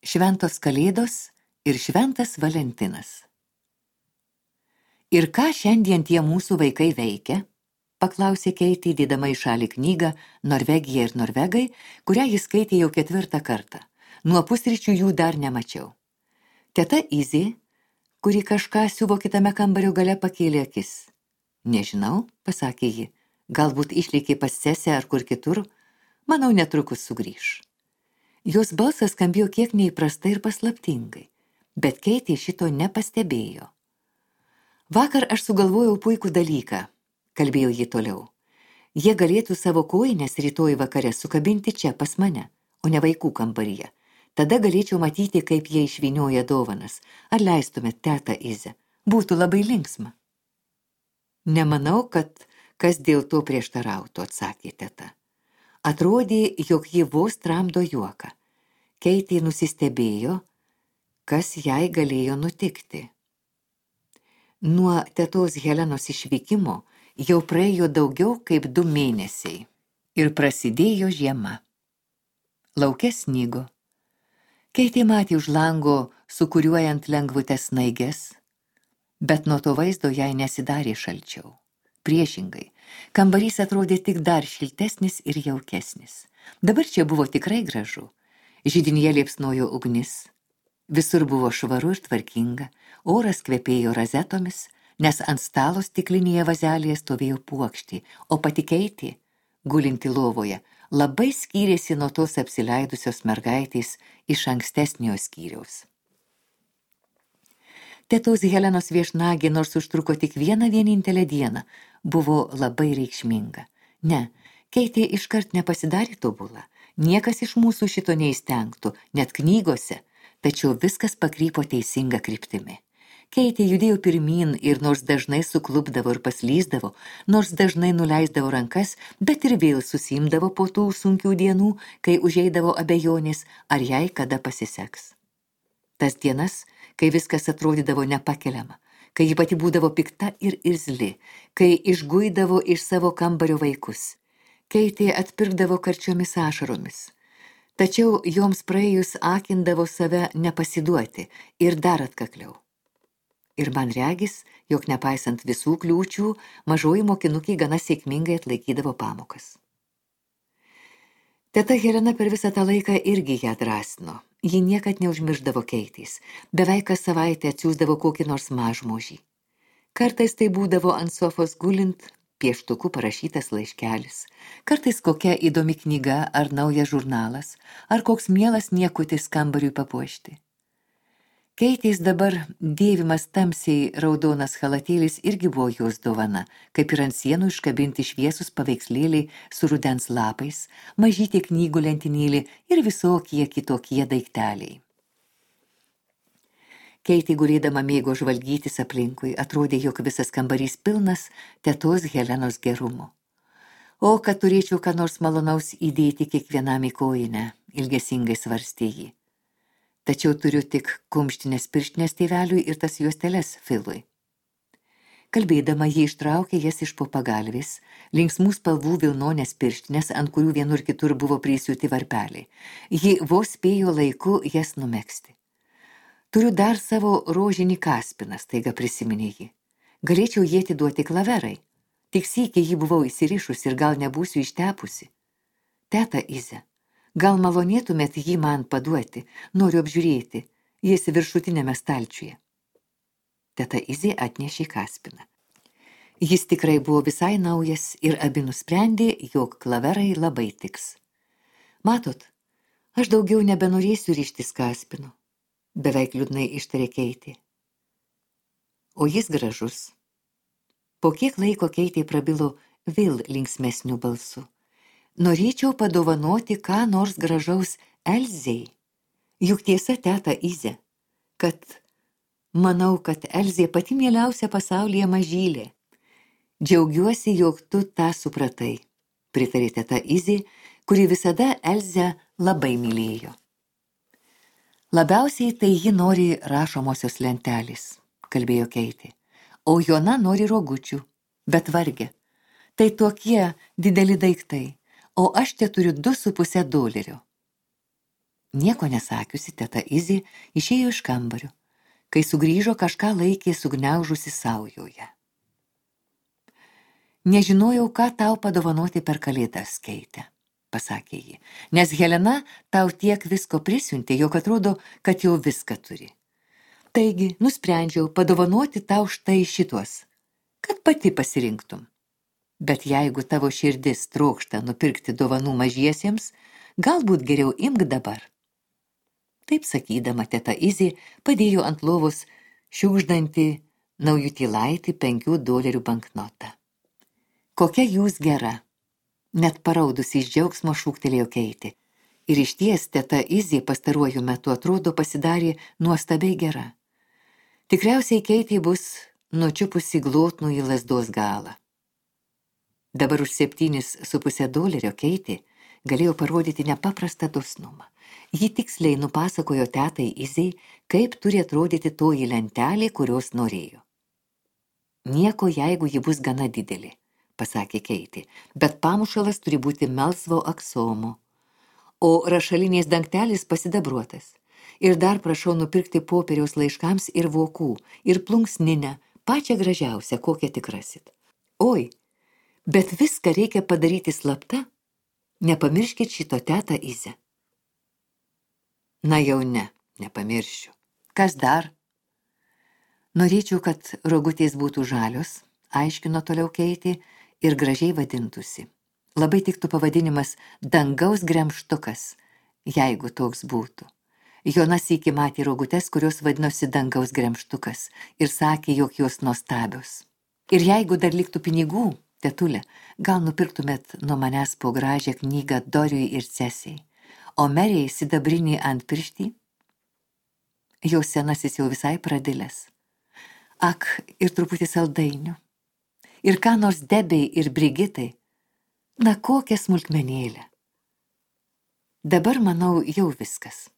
Šventos Kalėdos ir Šventas Valentinas. Ir ką šiandien tie mūsų vaikai veikia? Paklausė Keitė, dėdama į šalį knygą Norvegija ir Norvegai, kurią jis skaitė jau 4 kartą. Nuo pusryčių jų dar nemačiau. Teta Izė, kuri kažką siuvo kitame kambario gale, pakėlė akis. Nežinau, pasakė ji, galbūt išlėkė pas sesę ar kur kitur, manau netrukus sugrįš. Jos balsas skambėjo kiek neįprastai ir paslaptingai, bet Keitė šito nepastebėjo. Vakar aš sugalvojau puikų dalyką, kalbėjo ji toliau. Jie galėtų savo kojines rytoj vakare sukabinti čia pas mane, o ne vaikų kambaryje. Tada galėčiau matyti, kaip jie išvynioja dovanas. Ar leistumėt, teta Izę? Būtų labai linksma. Nemanau, kad kas dėl to prieštarautų, atsakė teta. Atrodė, jog ji vos tramdo juoką. Keitė nusistebėjo, kas jai galėjo nutikti. Nuo tetos Helenos išvykimo jau praėjo daugiau kaip 2 mėnesiai ir prasidėjo žiema. Lauke snigo. Keitė matė už lango sukuriuojant lengvutes snaiges, bet nuo to vaizdo jai nesidarė šalčiau. Priešingai, kambarys atrodė tik dar šiltesnis ir jaukesnis. Dabar čia buvo tikrai gražu. Židinyje liepsnojo ugnis. Visur buvo švaru ir tvarkinga, oras kvepėjo razetomis, nes ant stalo stiklinėje vazelėje stovėjo puokštė, o pati Keitė, gulinti lovoje, labai skyrėsi nuo tos apsileidusios mergaitės iš ankstesnio skyriaus. Tetos Helenos viešnagė, nors užtruko tik vienintelę dieną, buvo labai reikšminga. Ne, Keitė iškart nepasidarė tobula. Niekas iš mūsų šito neįstengtų, net knygose, tačiau viskas pakrypo teisinga kryptimi. Keitė judėjo pirmyn ir nors dažnai suklupdavo ir paslysdavo, nors dažnai nuleisdavo rankas, bet ir vėl susimdavo po tų sunkių dienų, kai užeidavo abejonės, ar jai kada pasiseks. Tas dienas, kai viskas atrodydavo nepakeliama, kai ji pati būdavo pikta ir irzli, kai išguidavo iš savo kambario vaikus. Keitė atpirkdavo karčiomis ašaromis. Tačiau joms praėjus akindavo save nepasiduoti ir dar atkakliau. Ir man regis, jog nepaisant visų kliūčių, mažoji mokinukė gana sėkmingai atlaikydavo pamokas. Teta Helena per visą tą laiką irgi ją drąsino. Ji niekad neužmirždavo Keitės. Beveik kas savaitę atsiųsdavo kokį nors mažmožį. Kartais tai būdavo ant sofos gulint pieštuku parašytas laiškelis. Kartais kokia įdomi knyga ar naujas žurnalas, ar koks mielas niekutis kambariui papuošti. Keitės dabar dėvimas tamsiai raudonas chalatėlis irgi buvo jos dovana, kaip ir ant sienų iškabinti šviesus paveikslėliai su rudens lapais, mažytė knygų lentynėlė ir visokie kitokie daikteliai. Keitė gulėdama mėgo žvalgytis aplinkui, atrodė, jog visas kambarys pilnas tetos Helenos gerumo. O, kad turėčiau ką nors malonaus įdėti kiekvienam į kojinę, ilgesingai svarstė ji. Tačiau turiu tik kumštinės pirštinės tėveliui ir tas juosteles Filui. Kalbėdama, ji ištraukė jas iš po pagalvės, linksmų spalvų vilnonės pirštinės, ant kurių vienur kitur buvo prisiūti varpeliai. Ji vos spėjo laiku jas numegzti. Turiu dar savo rožinį kaspiną, staiga prisiminė ji. Galėčiau jį atiduoti Klaverai. Tik sykį jį buvau įsirišusi ir gal nebūsiu ištepusi. Teta Izė, gal malonėtumėt jį man paduoti, noriu apžiūrėti, jis viršutinėme stalčiuje. Teta Izė atnešė kaspiną. Jis tikrai buvo visai naujas ir abi nusprendė, jog Klaverai labai tiks. Matot, aš daugiau nebenorėsiu ryžtis kaspinu, beveik liūdnai ištarė Keitė. O jis gražus. Po kiek laiko Keitė prabilo vėl linksmesniu balsu. Norėčiau padovanoti ką nors gražaus Elzei. Juk tiesa, teta Izė, kad manau, kad Elzė pati mieliausia pasaulyje mažylė. Džiaugiuosi, jog tu tą supratai, pritarė teta Izė, kuri visada Elzę labai mylėjo. Labiausiai tai ji nori rašomosios lentelės, kalbėjo Keitė, o Jona nori rogučių, bet varge. Tai tokie dideli daiktai. O aš te turiu $2,5. Nieko nesakiusi, teta Izė išėjo iš kambario. Kai sugrįžo, kažką laikė sugniaužusi saujoje. Nežinojau, ką tau padovanoti per kalėdas, Keite, pasakė ji, nes Helena tau tiek visko prisiuntė, jog atrodo, kad jau viską turi. Taigi, nusprendžiau padovanoti tau štai šituos, kad pati pasirinktum. Bet jeigu tavo širdis trokšta nupirkti dovanų mažiesiems, galbūt geriau imk dabar. Taip sakydama, teta Izė padėjo ant lovos šiugždantį naujutėlaitį $5 banknotą. Kokia jūs gera, net paraudusi iš džiaugsmo šūktelėjo Keitė. Ir išties teta Izė pastaruoju metu atrodo pasidarė nuostabiai gera. Tikriausiai Keitė bus nučiupusi glotnų į lazdos galą. Dabar už $7,5 Keitė galėjo parodyti nepaprastą dosnumą. Ji tiksliai nupasakojo tetai Izei, kaip turi atrodyti toji lentelė, kurios norėjo. Nieko, jeigu ji bus gana didelė, pasakė Keitė, bet pamušalas turi būti melsvo aksomo, o rašalinės dangtelis pasidabruotas. Ir dar prašau nupirkti popieriaus laiškams ir vokų, ir plunksninę, pačią gražiausią, kokią tik rasit. Oi, bet viską reikia padaryti slapta, nepamirškit šito teta Izę. Na jau ne, nepamiršiu. Kas dar? Norėčiau, kad rogutės būtų žalios, aiškino toliau Keitė, ir gražiai vadintųsi. Labai tiktų pavadinimas dangaus gremžtukas, jeigu toks būtų. Jonas sykį matė rogutes, kurios vadinosi dangaus gremžtukas, ir sakė, jog jos nuostabios. Ir jeigu dar liktų pinigų, tetulė, gal nupirktumėt nuo manęs po gražią knygą Doriui ir Cesiai, o Merijai sidabrinį antpirštį? Jos senasis jau visai pradilęs. Ak, ir truputį saldainių. Ir ką nors Debei ir Brigitai. Na, kokią smulkmenėlę. Dabar, manau, jau viskas.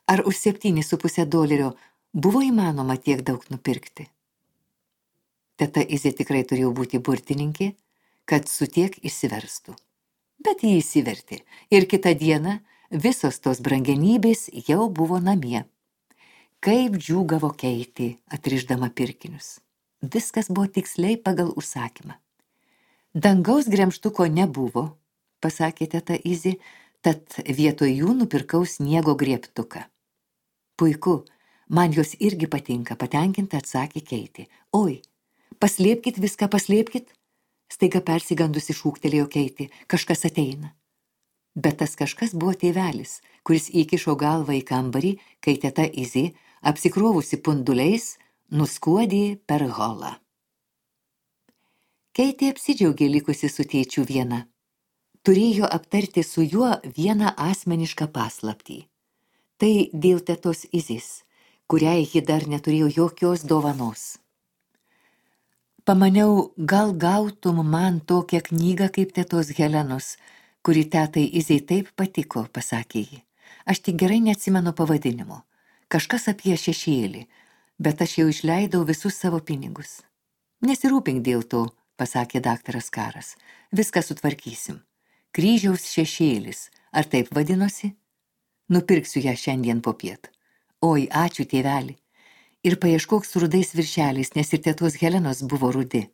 Ar už $7,5 buvo įmanoma tiek daug nupirkti? Teta Izė tikrai turėjo būti burtininkė, kad su tiek išsiverstų. Bet jį įsivertė ir kitą dieną visos tos brangenybės jau buvo namie. Kaip džiūgavo Keitė, atrišdama pirkinius. Viskas buvo tiksliai pagal užsakymą. Dangaus gremžtuko nebuvo, pasakė teta Izė, tad vietoj jų nupirkau sniego griebtuką. Puiku, man jos irgi patinka, patenkinta atsakė Keitė. Oi, paslėpkit viską, paslėpkit. Staiga persigandusi šūktelėjo Keitė, kažkas ateina. Bet tas kažkas buvo tėvelis, kuris įkišo galvą į kambarį, kai teta Izė, apsikrovusi punduliais, nuskuodė per holą. Keitė apsidžiaugė likusi su tėčiu viena. Turėjo aptarti su juo vieną asmenišką paslaptį. Tai dėl tetos Izės, kuriai ji dar neturėjo jokios dovanos. Pamaniau, gal gautum man tokią knygą kaip tetos Helenos, kuri tetai Izei taip patiko, pasakė ji. Aš tik gerai neatsimenu pavadinimo. Kažkas apie šešėlį, bet aš jau išleidau visus savo pinigus. Nesirūpink dėl to, pasakė daktaras Karas. Viską sutvarkysim. Kryžiaus šešėlis, ar taip vadinosi? Nupirksiu ją šiandien popiet. Oi, ačiū tėveli. Ir paieškok su rudais viršeliais, nes ir tetos Helenos buvo rudi.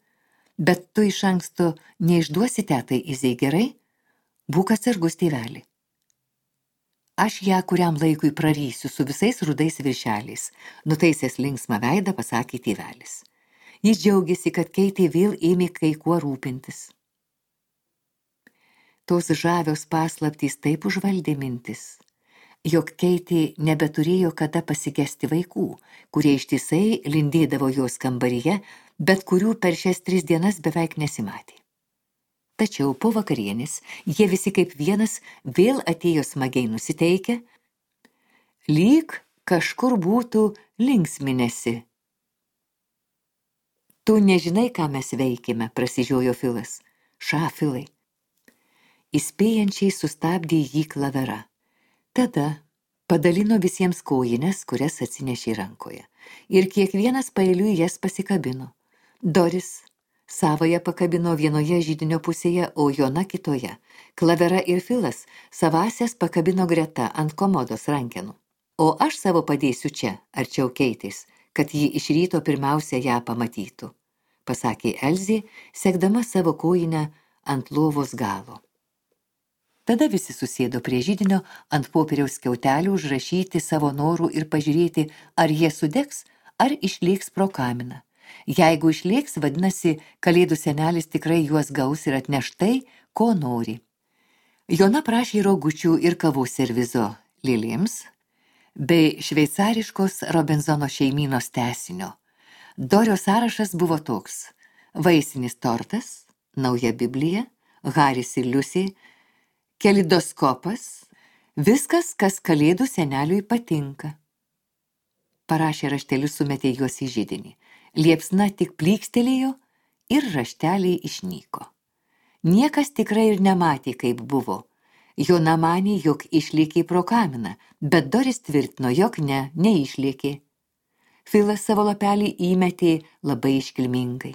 Bet tu iš anksto neišduosi tetai Izei, gerai? Būk atsargus tėveli. Aš ją kuriam laikui prarysiu su visais rudais viršeliais, nutaisęs linksmą veidą, pasakė tėvelis. Jis džiaugiasi, kad Keitė vėl ėmė kai kuo rūpintis. Tos žavios paslaptys taip užvaldė mintis, jog Keitė nebeturėjo kada pasigesti vaikų, kurie ištisai lindėdavo jos kambaryje, bet kurių per šias 3 dienas beveik nesimatė. Tačiau po vakarienės jie visi kaip vienas vėl atėjo smagiai nusiteikę, lyg kažkur būtų linksminėsi. Tu nežinai, ką mes veikėme, prasižiojo Filas. Filai. Įspėjančiai sustabdė jį Klavera. Tada padalino visiems kojines, kurias atsinešė rankoje, ir kiekvienas paeiliui jas pasikabino. Doris, Savąją pakabino vienoje židinio pusėje, o Jona kitoje. Klavera ir Filas savąsias pakabino greta ant komodos rankenų. O aš savo padėsiu čia, arčiau Keitės, kad ji iš ryto pirmiausia ją pamatytų, pasakė Elzė, sekdama savo kojinę ant lovos galo. Tada visi susėdo prie židinio ant popieriaus skiautelių užrašyti savo norų ir pažiūrėti, ar jie sudegs, ar išlėks pro kaminą. Jeigu išlėks, vadinasi, Kalėdų senelis tikrai juos gaus ir atneš tai, ko nori. Jona prašė rogučių ir kavos servizo lėlėms, bei šveicariškos Robinzono šeimynos tęsinio. Dorio sąrašas buvo toks: vaisinis tortas, nauja Biblija, Haris ir Liusė, kelidoskopas, viskas, kas Kalėdų seneliui patinka. Parašė raštelius, sumetė juos į židinį. Liepsna tik plykstelėjo ir rašteliai išnyko. Niekas tikrai ir nematė, kaip buvo. Jona manė, jog išlėkė pro kaminą, bet Doris tvirtino, jog neišlėkė. Filas savo lapelį įmetė labai iškilmingai.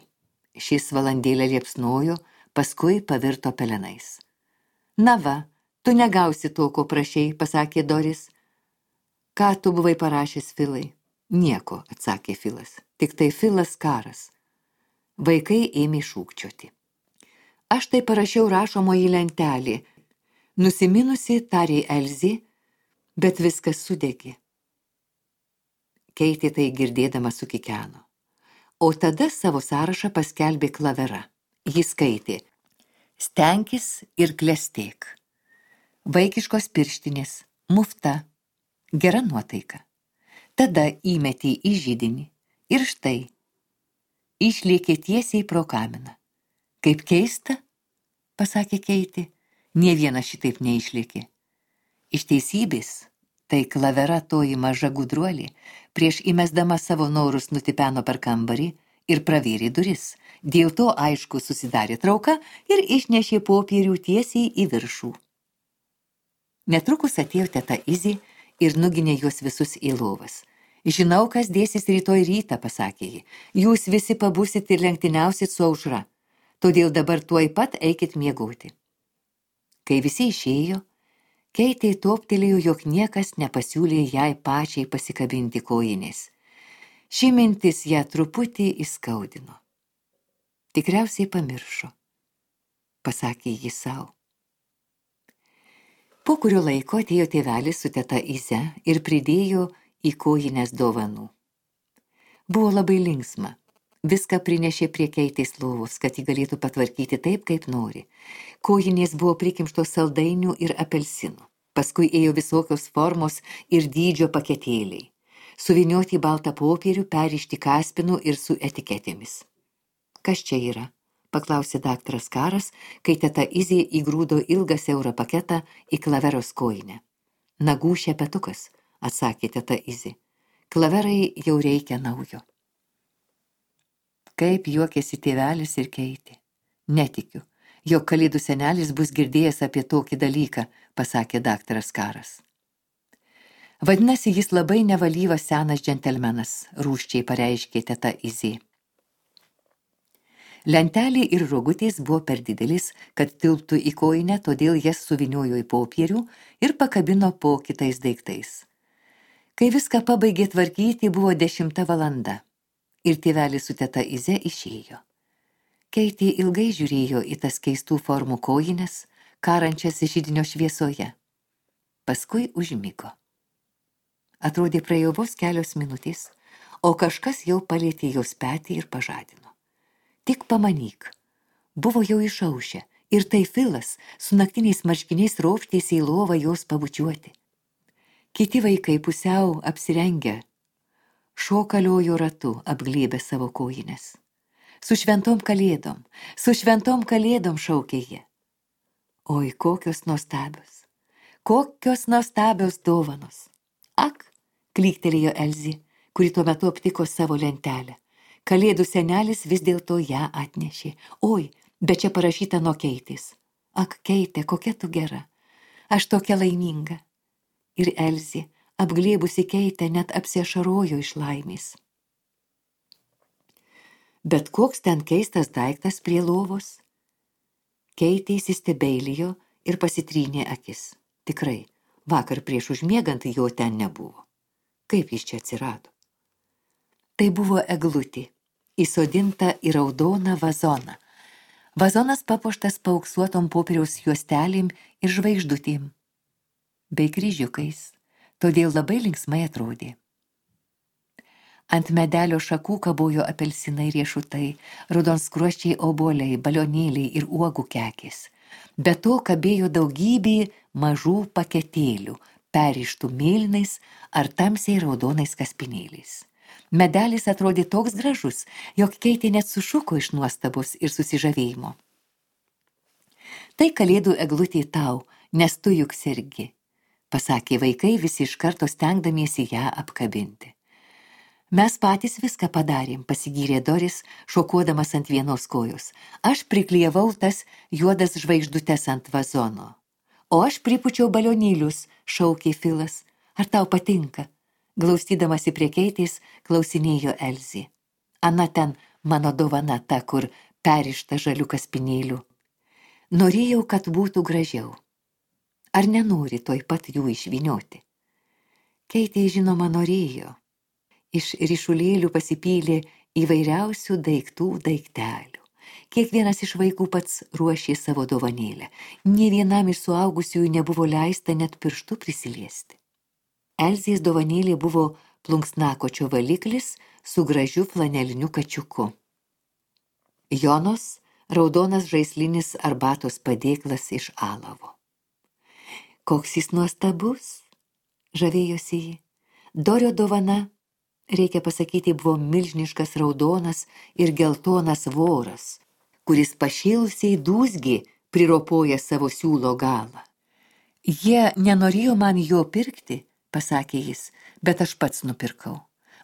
Šis valandėlę liepsnojo, paskui pavirto pelenais. Na va, tu negausi to, ko prašei, pasakė Doris. Ką tu buvai parašęs, Filai? Nieko, atsakė Filas, tik tai Filas Karas. Vaikai ėmė šūkčioti. Aš tai parašiau rašomoji lentelė. Nusiminusi, tarė Elzė, bet viskas sudegė. Keitė tai girdėdama sukikeno. O tada savo sąrašą paskelbė Klavera. Jis skaitė: stenkis ir klestėk. Vaikiškos pirštinės, mufta, gera nuotaika. Tada įmetė į židinį ir štai, išlėkė tiesiai pro kaminą. Kaip keista, pasakė Keitė, nė vienas šitaip neišlėkė. Iš teisybės, tai Klavera toji maža gudruolė, prieš įmesdama savo norus nutipeno per kambarį ir pravėrė duris. Dėl to aišku susidarė trauka ir išnešė popierių tiesiai į viršų. Netrukus atėjo teta Izė ir nuginė juos visus į lovas. Žinau, kas dėsis rytoj rytą, pasakė ji. Jūs visi pabusit ir lenktyniausit su aušra. Todėl dabar tuoj pat eikit miegoti. Kai visi išėjo, Keitė toptelėjo, jog niekas nepasiūlė jai pačiai pasikabinti kojinės. Ši mintis ją truputį įskaudino. Tikriausiai pamiršo, pasakė ji sau. Po kurio laiko atėjo tėvelis su teta Ize ir pridėjo į kojines dovanų. Buvo labai linksma. Viską prinešė prie Keitės lovos, kad ji galėtų patvarkyti taip, kaip nori. Kojinės buvo prikimštos saldainių ir apelsinų. Paskui ėjo visokios formos ir dydžio paketėliai. Suvinioti į baltą popierių, perrišti kaspinų ir su etiketėmis. Kas čia yra? Paklausė daktaras Karas, kai teta Izė įgrūdo ilgą siaurą paketą į Klaveros kojinę. Nagų šepetukas, atsakė teta Izė. Klaverai jau reikia naujo. Kaip juokėsi tėvelis ir Keitė. Netikiu, jog Kalėdų senelis bus girdėjęs apie tokį dalyką, pasakė daktaras Karas. Vadinasi, jis labai nevalyvas senas džentelmenas, rūsčiai pareiškė teta Izė. Lentelė ir rogutės buvo per didelis, kad tilptų į kojinę, todėl jas suviniojo į popierių ir pakabino po kitais daiktais. Kai viską pabaigė tvarkyti, buvo 10 valanda. Ir tėvelis su teta Ize išėjo. Keitė ilgai žiūrėjo į tas keistų formų kojines, karančias židinio šviesoje. Paskui užmigo. Atrodė praėjo vos kelios minutės, o kažkas jau palietė jos petį ir pažadino. Tik pamanyk, buvo jau išaušę ir tai Filas su naktiniais marškiniais ropštėsi į lovą jos pabučiuoti. Kiti vaikai pusiau apsirengę šokaliojo ratu apglėbę savo kojines. Su šventom kalėdom šaukė jie. Oi, kokios nuostabios dovanos. Ak, klyktelėjo Elzė, kuri tuo metu aptiko savo lentelę. Kalėdų senelis vis dėlto ją atnešė. Oi, bet čia parašyta nuo Keitės. Ak, Keitė, kokia tu gera. Aš tokia laiminga. Ir Elzė, apglėbusi Keitę, net apsiašarojo iš laimės. Bet koks ten keistas daiktas prie lovos? Keitė įsistebeilijo ir pasitrynė akis. Tikrai, vakar prieš užmiegant jo ten nebuvo. Kaip jis čia atsirado? Tai buvo eglutė, įsodinta į raudoną vazoną. Vazonas papuoštas paauksuotom popieriaus juostelėm ir žvaigždutėm, bei kryžiukais, todėl labai linksmai atrodė. Ant medelio šakų kabojo apelsinai riešutai, raudonskruosčiai obuoliai, balionėliai ir uogų kekės. Be to kabėjo daugybė mažų paketėlių, perrištų mėlynais ar tamsiai raudonais kaspinėliais. Medelis atrodė toks gražus, jog Keitė net sušuko iš nuostabos ir susižavėjimo. Tai kalėdų eglutė tau, nes tu juk sergi, pasakė vaikai visi iš karto stengdamiesi ją apkabinti. Mes patys viską padarėm, pasigyrė Doris, šokuodamas ant vienos kojos. Aš priklijavau tas juodas žvaigždutes ant vazono. O aš pripučiau balionėlius, šaukė Filas. Ar tau patinka? Glaustydamasi prie Keitės, klausinėjo Elzė. Ana ten mano dovana ta, kur perrišta žalių kaspinėlių. Norėjau, kad būtų gražiau. Ar nenori toj pat jų išvynioti? Keitė žinoma norėjo. Iš ryšulėlių pasipylė įvairiausių daiktų daiktelių. Kiekvienas iš vaikų pats ruošė savo dovanėlę. Nė vienam iš suaugusiųjų nebuvo leista net pirštų prisiliesti. Elzės dovanėlė buvo plunksnakočio valiklis su gražiu flaneliniu kačiuku. Jonos raudonas žaislinis arbatos padėklas iš alavo. Koks jis nuostabus, žavėjosi ji. Dorio dovana, reikia pasakyti, buvo milžiniškas raudonas ir geltonas voras, kuris pašėlusiai dūzgė priropoja savo siūlo galą. Jie nenorėjo man jo pirkti, pasakė jis, bet aš pats nupirkau.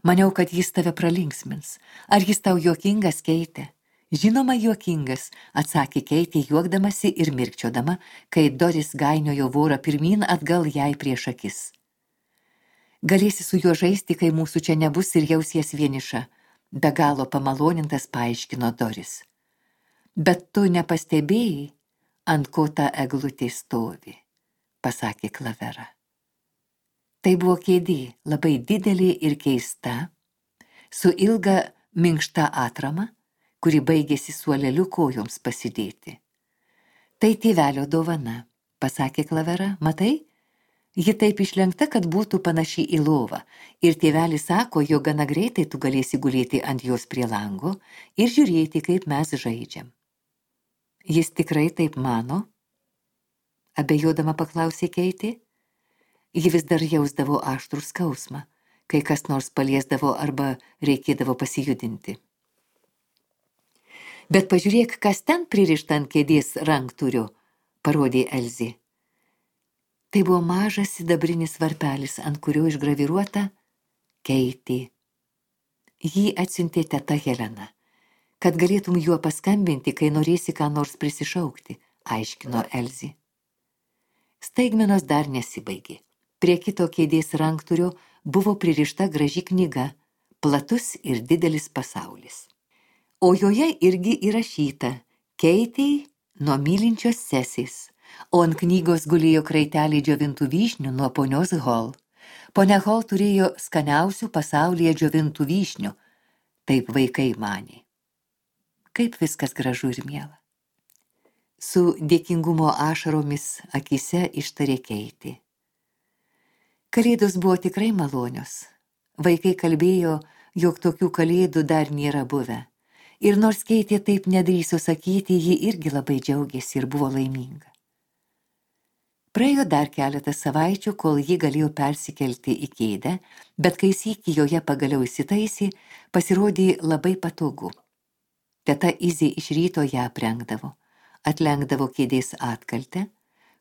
Maniau, kad jis tave pralinksmins. Ar jis tau juokingas, Keitė? Žinoma, juokingas, atsakė Keitė juokdamasi ir mirkčiodama, kai Doris gainiojo vorą pirmyn atgal jai prieš akis. Galėsi su juo žaisti, kai mūsų čia nebus ir jausies vieniša, be galo pamalonintas paaiškino Doris. Bet tu nepastebėjai, ant ko ta eglutė stovi, pasakė Klavera. Tai buvo kėdė, labai didelė ir keista, su ilga minkšta atrama, kuri baigėsi suoleliu kojoms pasidėti. Tai tėvelio dovana, pasakė Klavera, matai? Ji taip išlenkta, kad būtų panaši į lovą, ir tėvelis sako, jog gana greitai tu galėsi gulėti ant jos prie lango ir žiūrėti, kaip mes žaidžiam. Jis tikrai taip mano? Abejodama paklausė Keitė. Ji vis dar jausdavo aštrų skausmą, kai kas nors paliesdavo arba reikėdavo pasijudinti. Bet pažiūrėk, kas ten pririšta ant kėdės ranktūrio, parodė Elzė. Tai buvo mažas sidabrinis varpelis, ant kurio išgraviruota Keitė. Jį atsiuntė teta Helena, kad galėtum juo paskambinti, kai norėsi ką nors prisišaukti, aiškino Elzė. Staigmenos dar nesibaigė. Prie kito kėdės ranktūrio buvo pririšta graži knyga, platus ir didelis pasaulis. O joje irgi įrašyta Keitei nuo mylinčios sesės, o ant knygos gulėjo kraitelį džiovintų vyšnių nuo ponios Hall. Ponia Hall turėjo skaniausių pasaulyje džiovintų vyšnių, taip vaikai manė. Kaip viskas gražu ir miela. Su dėkingumo ašaromis akise ištarė Keitė. Kalėdos buvo tikrai malonios. Vaikai kalbėjo, jog tokių kalėdų dar nėra buvę. Ir nors Keitė taip nedrįso sakyti, ji irgi labai džiaugėsi ir buvo laiminga. Praėjo dar keletas savaičių, kol ji galėjo persikelti į kėdę, bet kai sykį joje pagaliau įsitaisė, pasirodė labai patogu. Teta Izė iš ryto ją aprengdavo, atlenkdavo kėdės atkaltę,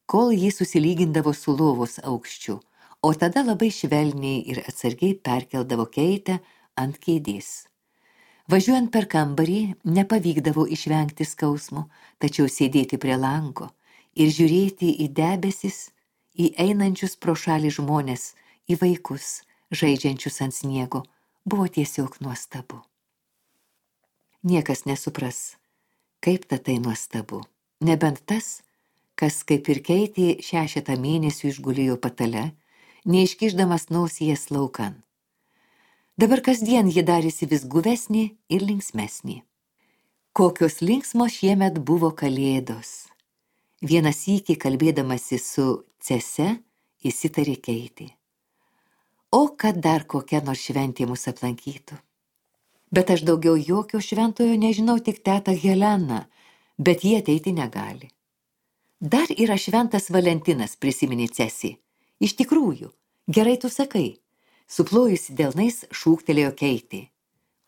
kol ji susilygindavo su lovos aukščiu, o tada labai švelniai ir atsargiai perkeldavo Keitę ant kėdės. Važiuojant per kambarį nepavykdavo išvengti skausmo, tačiau sėdėti prie lango ir žiūrėti į debesis, į einančius pro šalį žmones, į vaikus, žaidžiančius ant sniego, buvo tiesiog nuostabu. Niekas nesupras, kaip tai nuostabu. Nebent tas, kas kaip ir Keitė 6 mėnesių išgulėjo patale, neiškišdamas nosies laukan. Dabar kasdien ji darėsi vis guvesnė ir linksmesnė. Kokios linksmos šiemet buvo kalėdos. Vieną sykį kalbėdamasi su Cese įsitarė Keitė. O kad dar kokia nors šventė mus aplankytų. Bet aš daugiau jokio šventojo nežinau, tik tetą Heleną, bet jie ateiti negali. Dar yra šventas Valentinas, prisiminė Cesi. Iš tikrųjų, gerai tu sakai. Suplojusi delnais šūktelėjo Keitė.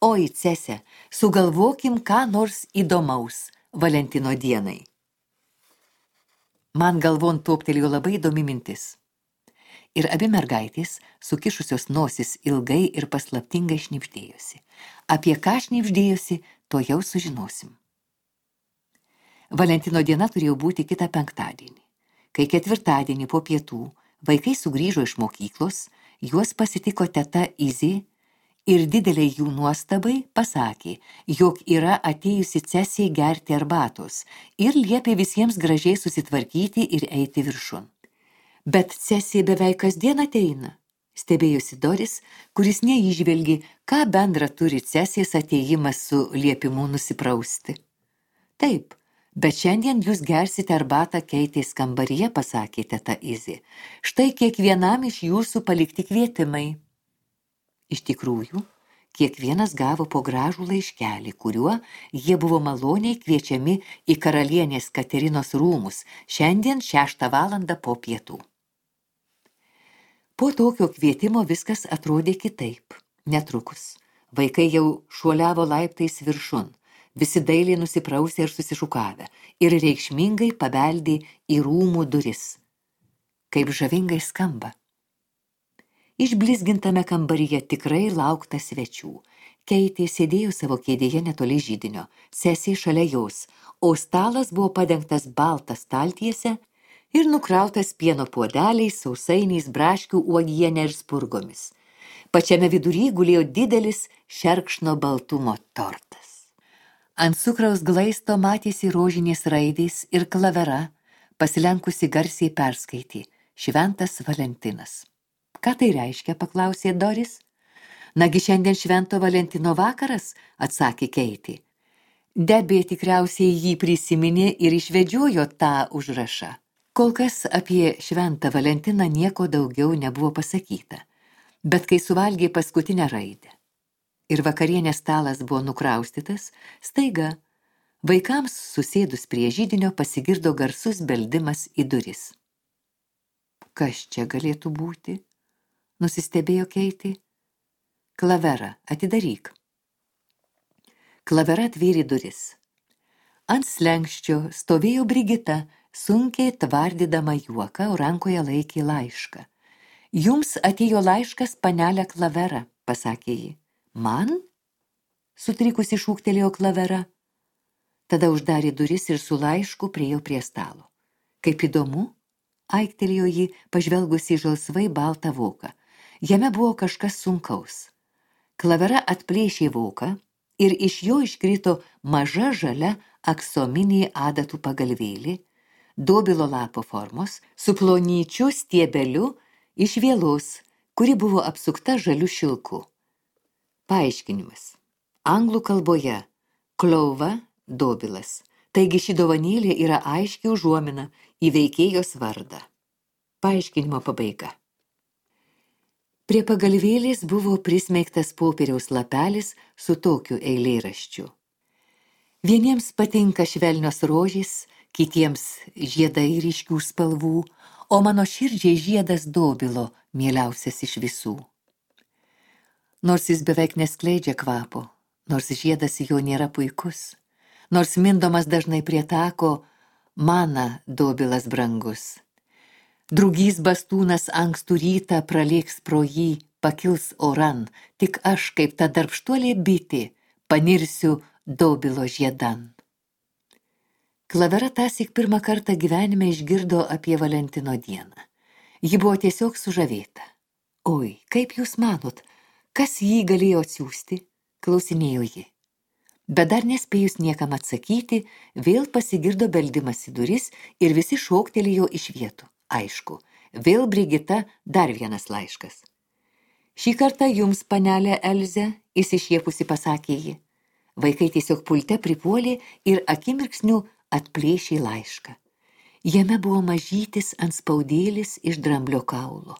Oi, Cese, sugalvokim ką nors įdomaus Valentino dienai. Man galvon toptelėjo labai įdomi mintis. Ir abi mergaitės, sukišusios nosis, ilgai ir paslaptingai šnibždėjosi. Apie ką šnibždėjosi, to jau sužinosim. Valentino diena turėjo būti kitą penktadienį. Kai ketvirtadienį po pietų vaikai sugrįžo iš mokyklos, juos pasitiko teta Izė ir dideliai jų nuostabai pasakė, jog yra atėjusi Cesė gerti arbatos ir liepė visiems gražiai susitvarkyti ir eiti viršun. Bet Cesė beveik kasdien ateina, stebėjosi Doris, kuris neįžvelgė, ką bendra turi Cesės atėjimas su liepimu nusiprausti. Taip, bet šiandien jūs gersite arbatą Keitės kambaryje, pasakė teta Izė. Štai kiekvienam iš jūsų palikti kvietimai. Iš tikrųjų, kiekvienas gavo po gražų laiškelį, kuriuo jie buvo maloniai kviečiami į karalienės Katerinos rūmus šiandien 6 valandą po pietų. Po tokio kvietimo viskas atrodė kitaip. Netrukus vaikai jau šuoliavo laiptais viršun, visi dailiai nusiprausė ir susišukavę, ir reikšmingai pabeldė į rūmų duris. Kaip žavingai skamba. Išblizgintame kambaryje tikrai laukta svečių. Keitė sėdėjo savo kėdėje netoli židinio, Cesė šalia jos, o stalas buvo padengtas balta staltiese ir nukrautas pieno puodeliais, sausainiais, braškių uogiene ir spurgomis. Pačiame vidury gulėjo didelis šerkšno baltumo tortas. Ant cukraus glaisto matėsi rožinės raidės ir klavera, pasilenkusi garsiai perskaitė Šventas Valentinas. Ką tai reiškia, paklausė Doris. Nagi šiandien Švento Valentino vakaras, atsakė Keitė. Debė tikriausiai jį prisiminė ir išvedžiojo tą užrašą. Kol kas apie Šventą Valentiną nieko daugiau nebuvo pasakyta, bet kai suvalgė paskutinę raidę ir vakarienės stalas buvo nukraustytas, staiga vaikams susėdus prie židinio pasigirdo garsus beldimas į duris. Kas čia galėtų būti? Nusistebėjo Keitė. Klavera, atidaryk. Klavera atvėrė duris. Ant slenksčio stovėjo Brigita, sunkiai tvardydama juoką, o rankoje laikė laišką. Jums atėjo laiškas, panelė Klavera, pasakė ji. Man? Sutrikusi šūktelėjo Klavera. Tada uždarė duris ir su laišku priėjo prie stalo. Kaip įdomu, aiktelėjo ji, pažvelgusi į žalsvai baltą voką. Jame buvo kažkas sunkaus. Klavera atplėšė voką ir iš jo iškrito maža žalia aksominė adatų pagalvėlė, dobilo lapo formos, su plonyčiu stiebeliu iš vielos, kuri buvo apsukta žaliu šilku. Paaiškinimas. Anglų kalboje klauva, dobilas. Taigi ši dovanėlė yra aiškiai užuomina į veikėjos vardą. Paaiškinimo pabaiga. Prie pagalvėlės buvo prismeigtas popieriaus lapelis su tokiu eilėraščiu. Vieniems patinka švelnios rožės, kitiems žiedai ryškių spalvų, o mano širdžiai žiedas dobilo, mieliausias iš visų. Nors jis beveik neskleidžia kvapo, nors žiedas jo nėra puikus, nors mindomas dažnai prie tako, mana dobilas brangus. Drugys bastūnas ankstų rytą pralėks pro jį, pakils oran, tik aš, kaip ta darbštuolė bitė, panirsiu dobilo žiedan. Klavera tąsyk pirmą kartą gyvenime išgirdo apie Valentino dieną. Ji buvo tiesiog sužavėta. Oi, kaip jūs manot, kas jį galėjo atsiųsti? Klausinėjo ji. Bet dar nespėjus niekam atsakyti, vėl pasigirdo beldimas į duris ir visi šoktelėjo iš vietų. Aišku, vėl Brigita dar vienas laiškas. Šį kartą jums, panelė Elze, išsišiepusi pasakė ji. Vaikai tiesiog pulte pripuolė ir akimirksniu atplėšė laišką. Jame buvo mažytis antspaudėlis iš dramblio kaulo,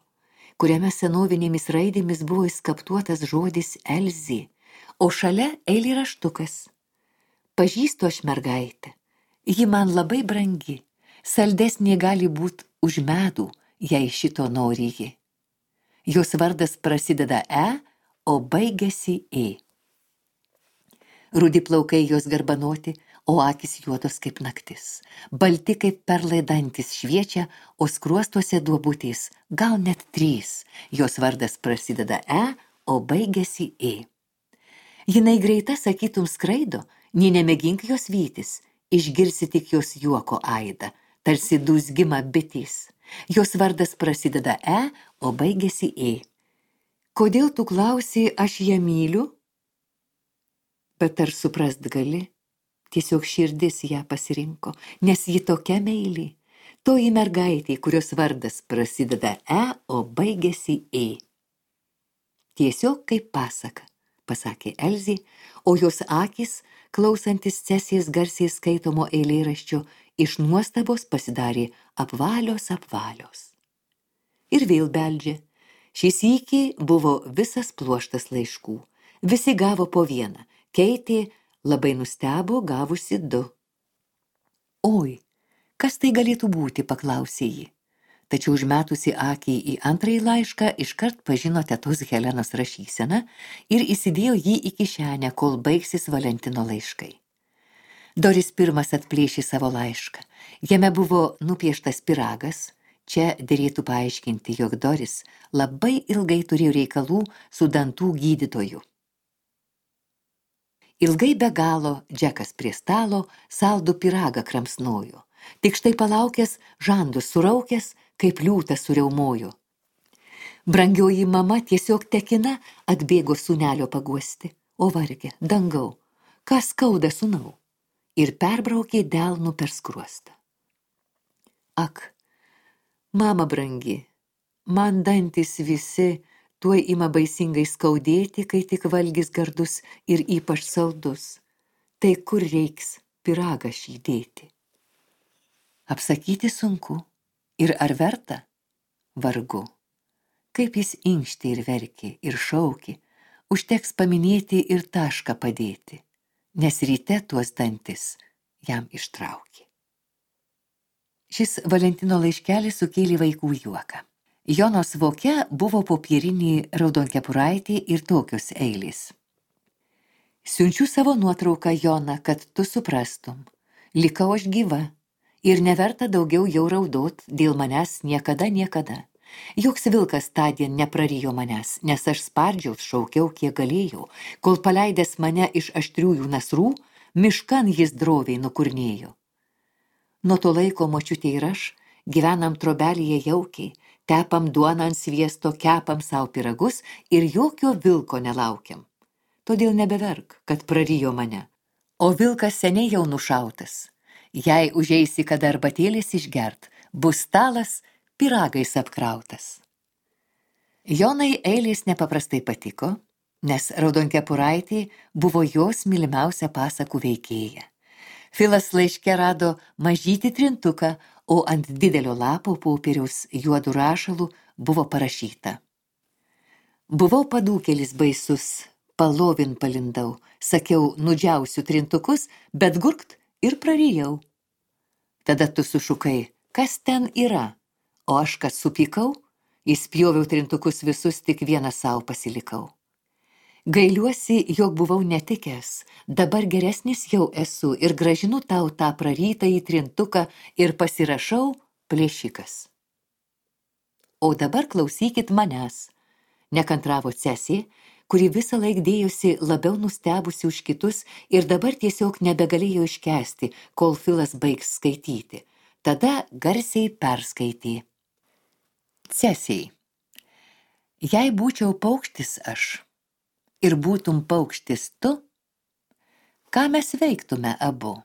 kuriame senovinėmis raidėmis buvo įskaptuotas žodis Elzė, o šalia eilėraštukas. Pažįstu aš mergaitę, ji man labai brangi, saldesnė gali būt už medų, jei šito nori ji. Jos vardas prasideda E, o baigiasi E. Rudi plaukai jos garbanoti, o akis juodos kaip naktis. Balti kaip perlai dantis šviečia, o skruostuose duobutės, gal net 3. Jos vardas prasideda E, o baigiasi E. Jinai greita, sakytum, skraido, nė nemėgink jos vytis, išgirsi tik jos juoko aidą, tarsi dūzgimą bitės. Jos vardas prasideda E, o baigiasi E. Kodėl tu klausi, aš ją myliu? Bet ar suprast gali? Tiesiog širdis ją pasirinko, nes ji tokia meili. Toji mergaitė, kurios vardas prasideda E, o baigiasi E. Tiesiog kaip pasaka, pasakė Elzė, o jos akys, klausantis Cesijos garsiai skaitomo eilėraščio, iš nuostabos pasidarė apvalios. Ir vėl beldžia. Šį sykį buvo visas pluoštas laiškų. Visi gavo po vieną. Keitė labai nustebo gavusi 2. Oi, kas tai galėtų būti, paklausė ji. Tačiau užmetusi akį į antrąjį laišką, iškart pažino tetos Helenos rašyseną ir įsidėjo jį į kišenę, kol baigsis Valentino laiškai. Doris pirmas atplėšė savo laišką. Jame buvo nupieštas pyragas. Čia derėtų paaiškinti, jog Doris labai ilgai turėjo reikalų su dantų gydytoju. Ilgai be galo Džekas prie stalo saldų pyragą kramsnojo. Tik štai palaukęs, žandus suraukęs, kaip liūtas suriaumojo. Brangioji mama tiesiog tekina atbėgo sūnelio paguosti. O varge, dangau, kas skauda sūnau? Ir perbraukė delnu per skruostą. Ak, mama brangi, man dantis visi tuoj ima baisingai skaudėti, kai tik valgis gardus ir ypač saldus. Tai kur reiks pyragą šį dėti? Apsakyti sunku. Ir ar verta? Vargu. Kaip jis inkštė ir verkė, ir šaukė, užteks paminėti ir tašką padėti, nes ryte tuos dantis jam ištraukė. Šis Valentino laiškelis sukėlė vaikų juoką. Jonos voke buvo popierinį raudonkepuraitį ir tokios eilės. Siunčiu savo nuotrauką, Jona, kad tu suprastum. Likau aš gyva ir neverta daugiau jau raudot dėl manęs niekada. Joks vilkas tądien neprarijo manęs, nes aš spardžiaus šaukiau, kiek galėjau, kol paleidęs mane iš aštriųjų nasrų, miškan jis droviai nukurnėjo. Nuo to laiko močiutė ir aš gyvenam trobelėje jaukiai, tepam duoną ant sviesto, kepam savo pyragus ir jokio vilko nelaukiam. Todėl nebeverk, kad prarijo mane. O vilkas seniai jau nušautas. Jei užeisi kada arbatėlės išgert, bus stalas pyragais apkrautas. Jonai eilės nepaprastai patiko, nes raudonkepuraitė buvo jos mylimiausia pasakų veikėja. Filas laiške rado mažytį trintuką, o ant didelio lapo popieriaus juodų rašalų buvo parašyta. Buvau padūkėlis baisus, palovin palindau, sakiau, nudžiausiu trintukus, bet gurkt ir prarijau. Tada tu sušukai, kas ten yra, o aš kas supykau, įspjoviau trintukus visus, tik vieną savo pasilikau. Gailiuosi, jog buvau netikęs, dabar geresnis jau esu ir grąžinu tau tą prarytąjį trintuką ir pasirašau plėšikas. O dabar klausykit manęs, nekantravo Cesė, kuri visą laik dėjosi labiau nustebusi už kitus ir dabar tiesiog nebegalėjo iškęsti, kol Filas baigs skaityti. Tada garsiai perskaitė. Cesei, jei būčiau paukštis aš, ir būtum paukštis tu, ką mes veiktume abu?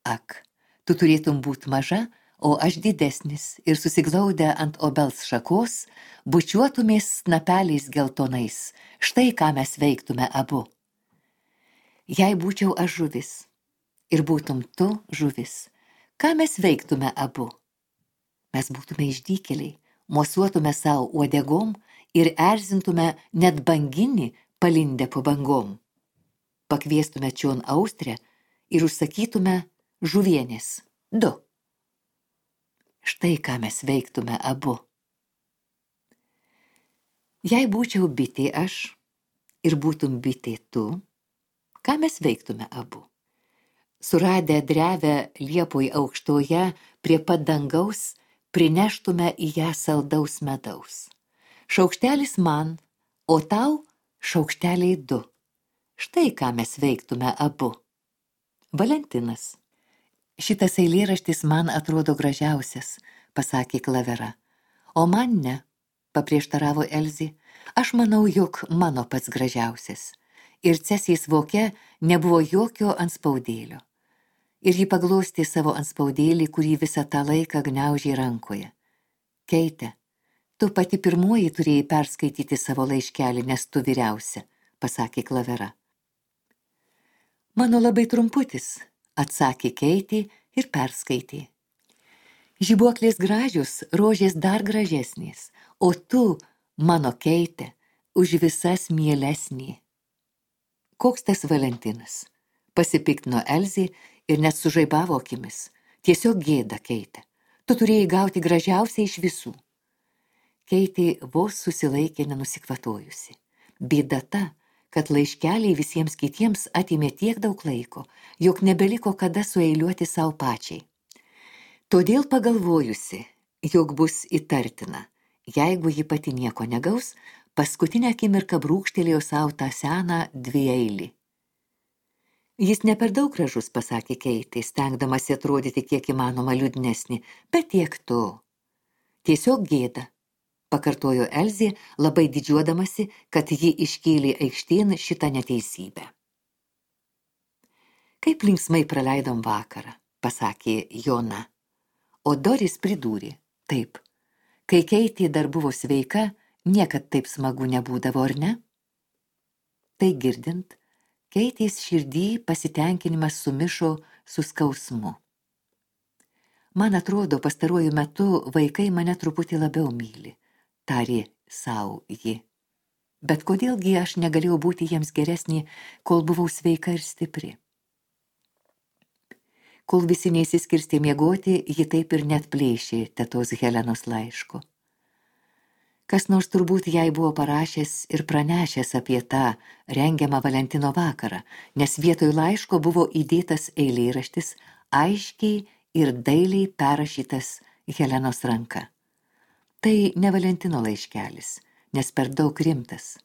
Ak, tu turėtum būt maža, o aš didesnis ir susiglaudę ant obels šakos, bučiuotumės snapeliais geltonais. Štai ką mes veiktume abu. Jei būčiau aš žuvis ir būtum tu žuvis, ką mes veiktume abu? Mes būtume išdykėliai, mosuotume savo uodegom ir erzintume net banginį palindę po bangom. Pakviestume čion austrę ir užsakytume žuvienės 2. Štai ką mes veiktume abu. Jei būčiau bitė aš ir būtum bitė tu, ką mes veiktume abu? Suradę drevę liepoj aukštoje prie pat dangaus, prineštume į ją saldaus medaus. Šaukštelis man, o tau šaukšteliai 2. Štai ką mes veiktume abu. Valentinas. Šitas eilėraštis man atrodo gražiausias, pasakė Klavera. O man ne, paprieštaravo Elzė. Aš manau, jog mano pats gražiausias. Ir Cesės voke nebuvo jokio anspaudėlio. Ir ji paglostė savo anspaudėlį, kurį visą tą laiką gniaužė rankoje. Keite, tu pati pirmoji turėjai perskaityti savo laiškelį, nes tu vyriausia, pasakė Klavera. Mano labai trumputis, atsakė Keitė ir perskaitė. Žibuoklės gražius, rožės dar gražesnės, o tu, mano Keite, už visas mielesnė. Koks tas Valentinas? Pasipiktino Elzė ir net sužaibavo akimis. Tiesiog gėda, Keite. Tu turėjai gauti gražiausią iš visų. Keitė vos susilaikė nenusikvatojusi. Bėda ta, kad laiškeliai visiems kitiems atimė tiek daug laiko, jog nebeliko kada sueiliuoti savo pačiai. Todėl pagalvojusi, jog bus įtartina, jeigu ji pati nieko negaus, paskutinę akimirką brūkštelėjo savo tą seną dvieilį. Jis ne per daug gražus, pasakė Keitė, stengdamasi atrodyti kiek įmanoma liūdnesnį, bet tiek to. Tiesiog gėda, pakartojo Elzė, labai didžiuodamasi, kad ji iškėlė aikštėn šitą neteisybę. Kaip linksmai praleidom vakarą, pasakė Jona. O Doris pridūrė, taip, kai Keitė dar buvo sveika, niekad taip smagu nebūdavo, ar ne? Tai girdint, Keitės širdį pasitenkinimas sumišo su skausmu. Man atrodo, pastaruoju metu vaikai mane truputį labiau myli, tarė sau ji. Bet kodėlgi aš negalėjau būti jiems geresnė, kol buvau sveika ir stipri? Kol visi neįsiskirstė miegoti, ji taip ir net plėšė tetos Helenos laiško. Kas nors turbūt jai buvo parašęs ir pranešęs apie tą rengiamą Valentino vakarą, nes vietoj laiško buvo įdėtas eilėraštis, aiškiai ir dailiai perrašytas Helenos ranka. Tai ne Valentino laiškelis, nes per daug rimtas.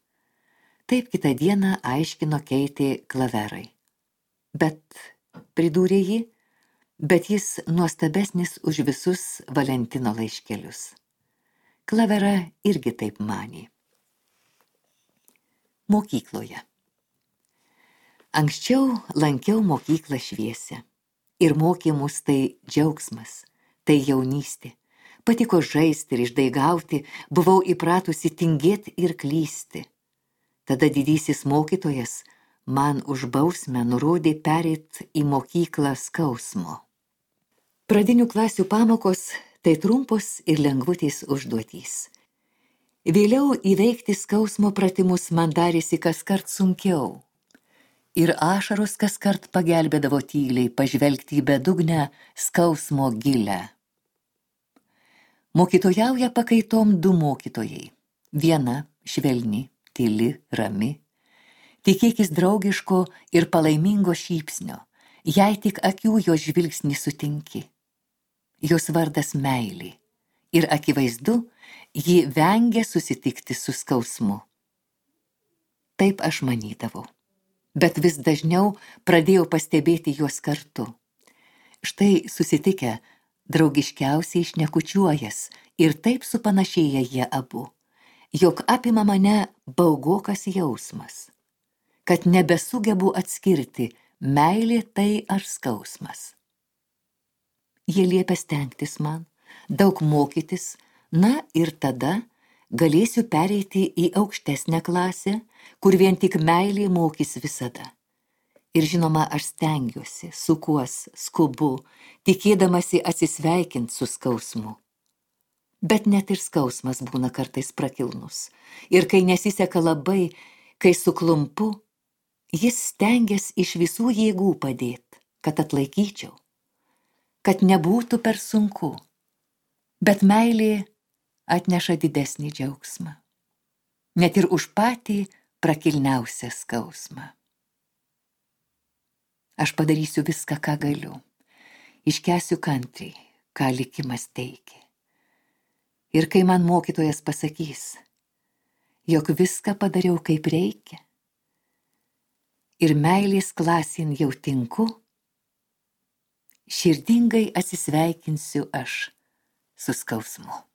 Taip kitą dieną aiškino Keitė Klaverai. Bet, pridūrė ji, bet jis nuostabesnis už visus Valentino laiškelius. Klavera irgi taip manė. Mokykloje. Anksčiau lankiau mokyklą šviesią. Ir mokė mus tai džiaugsmas, tai jaunystė. Patiko žaisti ir išdaigauti, buvau įpratusi tingėti ir klysti. Tada didysis mokytojas man už bausmę nurodė pereit į mokyklą skausmo. Pradinių klasių pamokos tai trumpos ir lengvutės užduotys. Vėliau įveikti skausmo pratimus man darėsi kaskart sunkiau. Ir ašaros kaskart pagelbėdavo tyliai pažvelgti į bedugnę skausmo gilę. Mokytojauja pakaitom 2 mokytojai. Viena švelni, tyli, rami. Tikėkis draugiško ir palaimingo šypsnio, jei tik akių jos žvilgsnį sutinki. Jos vardas meilė. Ir akivaizdu, ji vengia susitikti su skausmu. Taip aš manydavau. Bet vis dažniau pradėjau pastebėti juos kartu. Štai susitikę, draugiškiausiai šnekučiuojas ir taip supanašėja jie abu, jog apima mane baugokas jausmas. kad nebesugebu atskirti, meilė tai ar skausmas. Jie liepia stengtis man, daug mokytis, na ir tada galėsiu pereiti į aukštesnę klasę, kur vien tik meilė mokys visada. Ir žinoma, aš stengiuosi, sukuos, skubu, tikėdamasi atsisveikinti su skausmu. Bet net ir skausmas būna kartais prakilnus. Ir kai nesiseka labai, kai suklumpu, jis stengiasi iš visų jėgų padėti, kad atlaikyčiau, kad nebūtų per sunku. Bet meilė atneša didesnį džiaugsmą, net ir už patį prakilniausią skausmą. Aš padarysiu viską, ką galiu, iškęsiu kantriai, ką likimas teikia. Ir kai man mokytojas pasakys, jog viską padariau kaip reikia, ir meilės klasin jau tinku, širdingai atsisveikinsiu aš su skausmu.